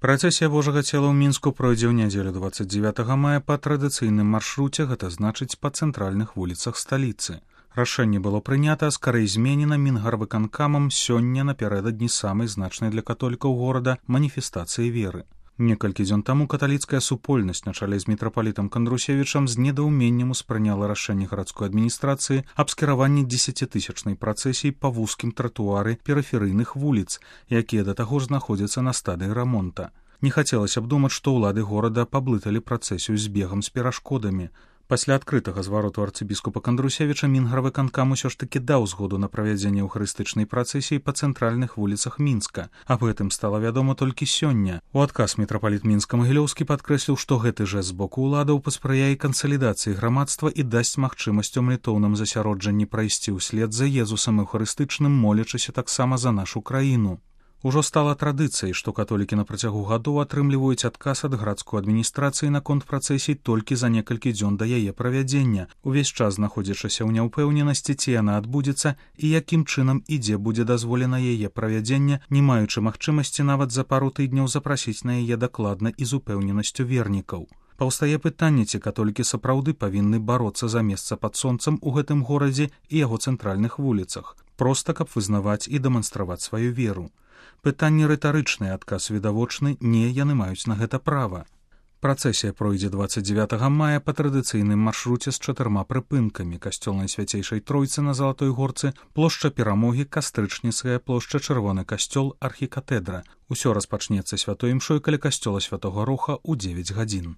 Працэсія Божага цела ў Мінску пройдзе ў нядзелю 29 мая па традыцыйным маршруце, гэта значыць па цэнтральных вуліцах сталіцы. Рашэнне было прынята, скарэй зменена Мінгарвыканкамам сёння напярэдадні самай значнай для католікаў горада маніфестацыі веры. Некалькі дзён таму каталіцкая супольнасць на чале з мітрапалітам Кандрусевічам з недаўменнем успрыняла рашэнне гарадской адміністрацыі аб скіраванні 10-тысячнай працэсіі па вузкім тратуары перыферыйных вуліц, якія да таго ж знаходзяцца на стадыі рамонта. Не хацелася б думаць, што ўлады горада паблыталі працэсію з бегам з перашкодамі. Пасля адкрытага звароту арцыбіскупа Кандрусевіча Мінгарвыканкам усё ж такі даў згоду на правядзенне эўхарыстычнай працэсіі па цэнтральных вуліцах Мінска. Аб гэтым стала вядома толькі сёння. У адказ мітрапаліт Мінска-Магілёўскі падкрэсліў, што гэты жэст з боку ўладаў паспрыяе кансалідацыі грамадства і дасць магчымасць у малітоўным засяроджанні прайсці ўслед за Езусам эўхарыстычным, молячыся таксама за нашу краіну. Ужо стала традыцыяй, што католікі на працягу гадоў атрымліваюць адказ ад гарадской адміністрацыі наконт працэсій толькі за некалькі дзён да яе правядзення, увесь час знаходзячыся ў няўпэўненасці, ці яна адбудзецца і якім чынам і дзе будзе дазволена яе правядзенне, не маючы магчымасці нават за пару тыдняў запрасіць на яе дакладна і з упэўненасцю вернікаў. Паўстае пытанне, ці католікі сапраўды павінны бароцца за месца пад сонцам у гэтым горадзе і яго цэнтральных вуліцах, проста каб вызнаваць і дэманстраваць сваю веру. Пытанне рытарычнае, адказ відавочны, не, яны маюць на гэта права. Працэсія пройдзе 29 мая па традыцыйным маршруце з 4 прыпынкамі: касцёл Найсвяцейшай Тройцы на Залатой Горцы, плошча Перамогі, Кастрычніцкая плошча, Чырвоны касцёл, архікатэдра. Усё распачнецца святой імшой каля касцёла Святога Роха ў 9 гадзін.